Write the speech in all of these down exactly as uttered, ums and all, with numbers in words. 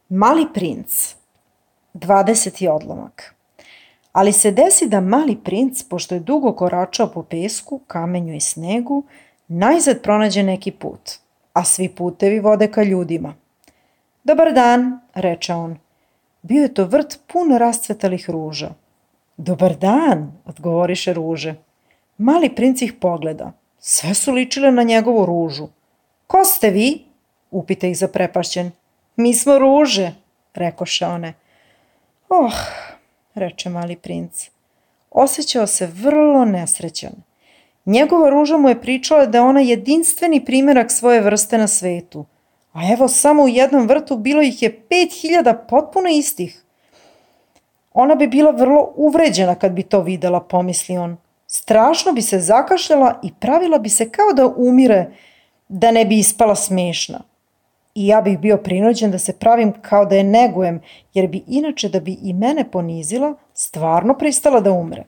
Mali princ, dvadeseti odlomak. Ali se desi da mali princ, pošto je dugo koračao po pesku, kamenju i snegu, najzad pronađe neki put, a svi putevi vode ka ljudima. Dobar dan, reče on. Bio je to vrt pun rascvetalih ruža. Dobar dan, odgovoriše ruže. Mali princ ih pogleda. Sve su ličile na njegovu ružu. Ko ste vi? Upita ih zaprepašćen. Mi smo ruže, rekoše one. Oh, reče mali princ. Osjećao se vrlo nesrećan. Njegova ruža mu je pričala da je ona jedinstveni primjerak svoje vrste na svetu. A evo samo u jednom vrtu bilo ih je pet hiljada potpuno istih. Ona bi bila vrlo uvređena kad bi to videla, pomisli on. Strašno bi se zakašljala i pravila bi se kao da umire, da ne bi ispala smešna. I ja bih bio prinuđen da se pravim kao da je negujem, jer bi inače da bi i mene ponizila, stvarno pristala da umre.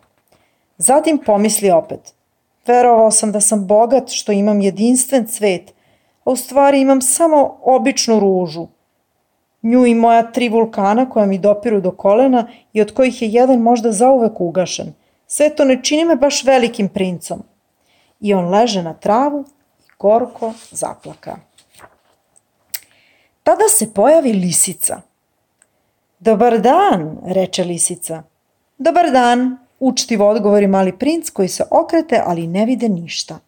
Zatim pomisli opet. Verovao sam da sam bogat što imam jedinstven cvet, a u stvari imam samo običnu ružu. Nju i moja tri vulkana koja mi dopiru do kolena i od kojih je jedan možda zauvek ugašen. Sve to ne čini me baš velikim princom. I on leže na travu i gorko zaplaka. Tada se pojavi lisica. Dobar dan, reče lisica. Dobar dan, učtivo odgovori mali princ koji se okrete, ali ne vide ništa.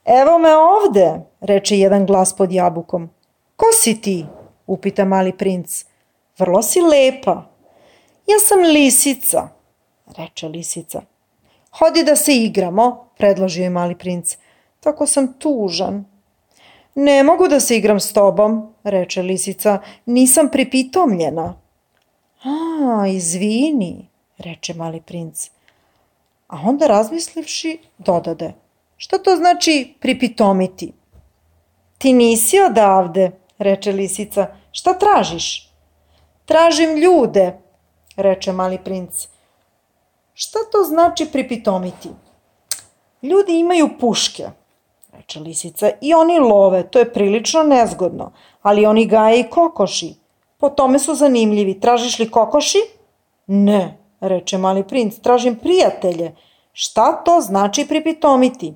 Evo me ovde, reče jedan glas pod jabukom. Ko si ti? Upita mali princ. Vrlo si lepa. Ja sam lisica, reče lisica. Hodi da se igramo, predložio je mali princ. Tako sam tužan. Ne mogu da se igram s tobom, reče lisica. Nisam pripitomljena. A, izvini, reče mali princ. A onda razmislivši dodade. Šta to znači pripitomiti? Ti nisi odavde, reče lisica. Šta tražiš? Tražim ljude, reče mali princ. Šta to znači pripitomiti? Ljudi imaju puške, reče lisica, i oni love, to je prilično nezgodno, ali oni gaje i kokoši. Po tome su zanimljivi. Tražiš li kokoši? Ne, reče mali princ, tražim prijatelje. Šta to znači pripitomiti?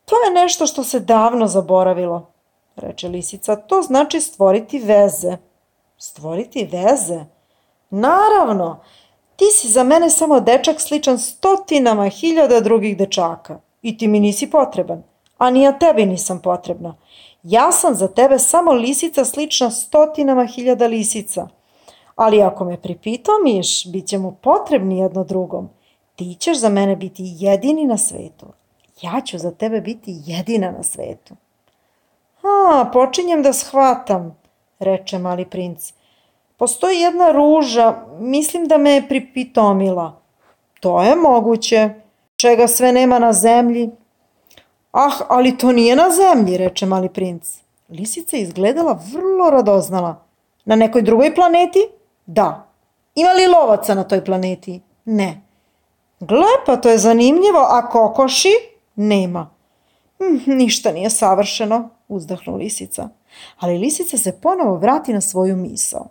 To je nešto što se davno zaboravilo, reče lisica. To znači stvoriti veze. Stvoriti veze? Naravno, ti si za mene samo dečak sličan stotinama hiljada drugih dečaka i ti mi nisi potreban, a ni ja tebi nisam potrebna. Ja sam za tebe samo lisica slična stotinama hiljada lisica, ali ako me pripitomiš, bit ćemo potrebni jedno drugom. Ti ćeš za mene biti jedini na svetu. Ja ću za tebe biti jedina na svetu. A, počinjem da shvatam, reče mali princ. Postoji jedna ruža, mislim da me je pripitomila. To je moguće, čega sve nema na zemlji. Ah, ali to nije na zemlji, reče mali princ. Lisica je izgledala vrlo radoznala. Na nekoj drugoj planeti? Da. Ima li lovaca na toj planeti? Ne. Gle, pa to je zanimljivo, a kokoši? Nema. Hm, ništa nije savršeno, uzdahnu lisica. Ali lisica se ponovo vrati na svoju misao.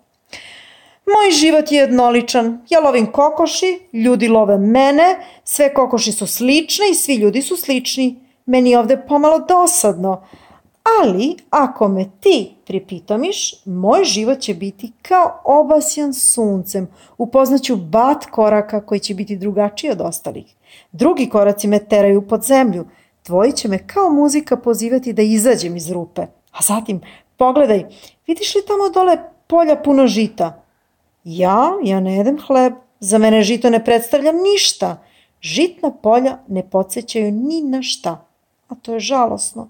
Moj život je jednoličan. Ja lovim kokoši, ljudi love mene, sve kokoši su slične i svi ljudi su slični. Meni je ovde pomalo dosadno, ali ako me ti pripitomiš, moj život će biti kao obasjan suncem. Upoznaću bat koraka koji će biti drugačiji od ostalih. Drugi koraci me teraju pod zemlju. Tvoji će me kao muzika pozivati da izađem iz rupe. A zatim, pogledaj, vidiš li tamo dole polja puno žita? Ja, ja ne jedem hleb. Za mene žito ne predstavlja ništa. Žitna polja ne podsjećaju ni na šta. A to je žalosno.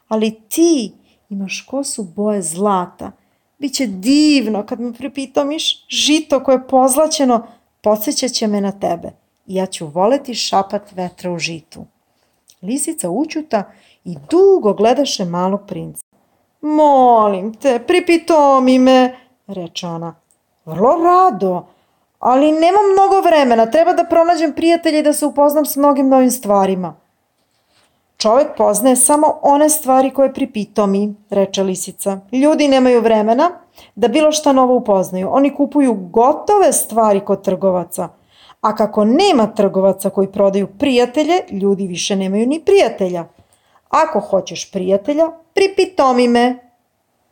Ali ti imaš kosu boje zlata. Biće divno kad me pripitomiš. Žito koje je pozlaćeno podsjećat će me na tebe. I ja ću voleti šapat vetra u žitu. Lisica ućuta i dugo gledaše malog princa. Molim te, pripitomi me, reče ona. Vrlo rado, ali nemam mnogo vremena. Treba da pronađem prijatelje i da se upoznam s mnogim novim stvarima. Čovek poznaje samo one stvari koje pripitomi, reče lisica. Ljudi nemaju vremena da bilo šta novo upoznaju. Oni kupuju gotove stvari kod trgovaca. A kako nema trgovaca koji prodaju prijatelje, ljudi više nemaju ni prijatelja. Ako hoćeš prijatelja, pripitomi me.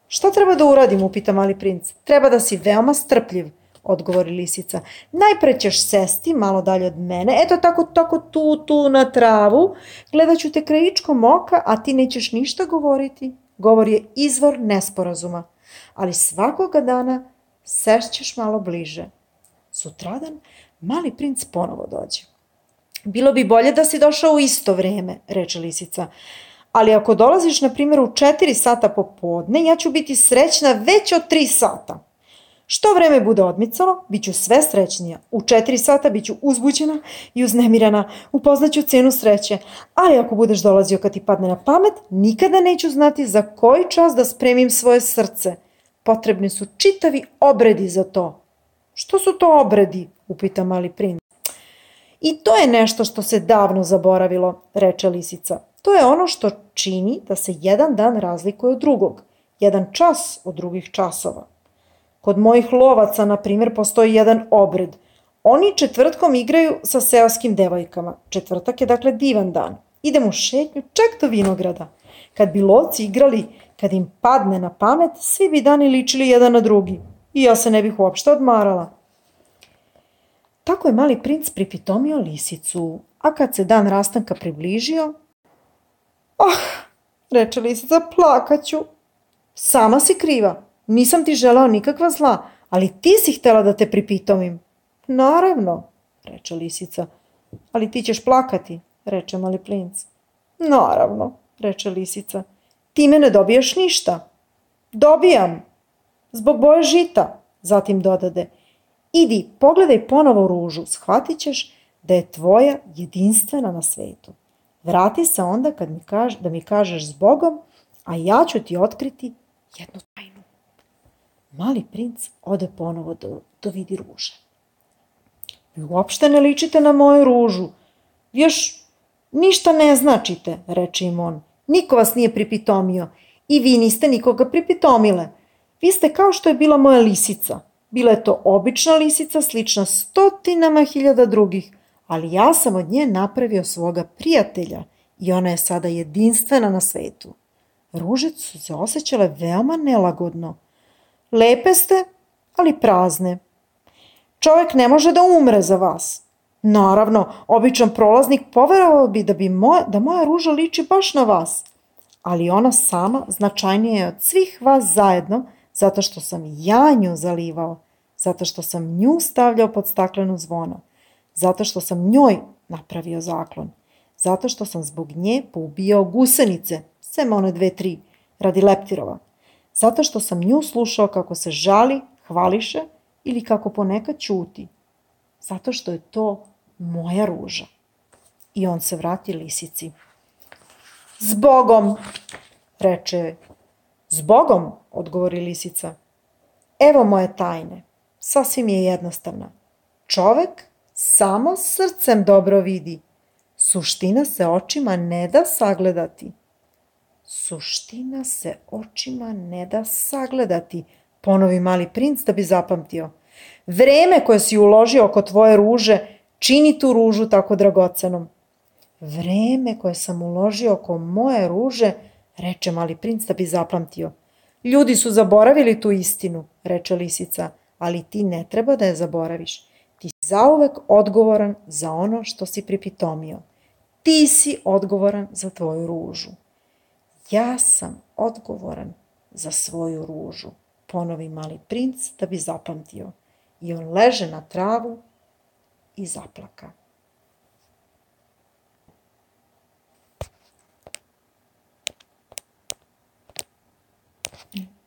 Šta treba da uradim, upita mali princ. Treba da si veoma strpljiv, odgovori lisica. Najpre ćeš sesti malo dalje od mene, eto tako, tako tu, tu na travu, gledat ću te krajičkom oka, a ti nećeš ništa govoriti. Govor je izvor nesporazuma, ali svakoga dana sešćeš malo bliže. Sutradan mali princ ponovo dođe. Bilo bi bolje da si došao u isto vreme, reče lisica, ali ako dolaziš, na primjer, u četiri sata popodne, ja ću biti srećna već od tri sata. Što vreme bude odmicalo, bit ću sve srećnija. U četiri sata bit ću uzbuđena i uznemirana, upoznaću cenu sreće. Ali ako budeš dolazio kad ti padne na pamet, nikada neću znati za koji čas da spremim svoje srce. Potrebni su čitavi obredi za to. Što su to obredi? Upita mali princ. I to je nešto što se davno zaboravilo, reče lisica. To je ono što čini da se jedan dan razlikuje od drugog, jedan čas od drugih časova. Kod mojih lovaca, na primjer, postoji jedan obred. Oni četvrtkom igraju sa seoskim devojkama. Četvrtak je dakle divan dan. Idem u šetnju čak do vinograda. Kad bi lovci igrali, kad im padne na pamet, svi bi dani ličili jedan na drugi. I ja se ne bih uopšte odmarala. Tako je mali princ pripitomio lisicu, a kad se dan rastanka približio, ah, reče lisica, plakaću. Sama si kriva, nisam ti želao nikakva zla, ali ti si htela da te pripitomim. Naravno, reče lisica, ali ti ćeš plakati, reče mali princ. Naravno, reče lisica, time ne dobiješ ništa. Dobijam, zbog boje žita, zatim dodade. Idi, pogledaj ponovo ružu, shvatit ćeš da je tvoja jedinstvena na svetu. Vrati se onda kad mi kaž, da mi kažeš zbogom, a ja ću ti otkriti jednu tajnu. Mali princ ode ponovo do, do vidi ruže. Vi uopšte ne ličite na moju ružu. Vi još ništa ne značite, reče im on. Niko vas nije pripitomio i vi niste nikoga pripitomile. Vi ste kao što je bila moja lisica. Bila je to obična lisica, slična stotinama hiljada drugih, ali ja sam od nje napravio svoga prijatelja i ona je sada jedinstvena na svetu. Ruže su se osjećale veoma nelagodno. Lepe ste, ali prazne. Čovek ne može da umre za vas. Naravno, običan prolaznik poverovao bi da, bi moja, da moja ruža liči baš na vas, ali ona sama značajnija je od svih vas zajedno, zato što sam ja nju zalivao, zato što sam nju stavljao pod staklenu zvona, zato što sam njoj napravio zaklon, zato što sam zbog nje poubijao gusenice, sem one dve, tri, radi leptirova, zato što sam nju slušao kako se žali, hvališe ili kako ponekad ćuti, zato što je to moja ruža. I on se vrati lisici. Zbogom, reče. Zbogom, odgovori lisica. Evo moje tajne, sasvim je jednostavna. Čovek samo srcem dobro vidi. Suština se očima ne da sagledati. Suština se očima ne da sagledati, ponovi mali princ da bi zapamtio. Vreme koje si uložio oko tvoje ruže čini tu ružu tako dragocenom. Vreme koje sam uložio oko moje ruže, reče mali princ da bi zapamtio. Ljudi su zaboravili tu istinu, reče lisica, ali ti ne treba da je zaboraviš. Ti si zauvek odgovoran za ono što si pripitomio. Ti si odgovoran za tvoju ružu. Ja sam odgovoran za svoju ružu, ponovi mali princ da bi zapamtio. I on leže na travu i zaplaka.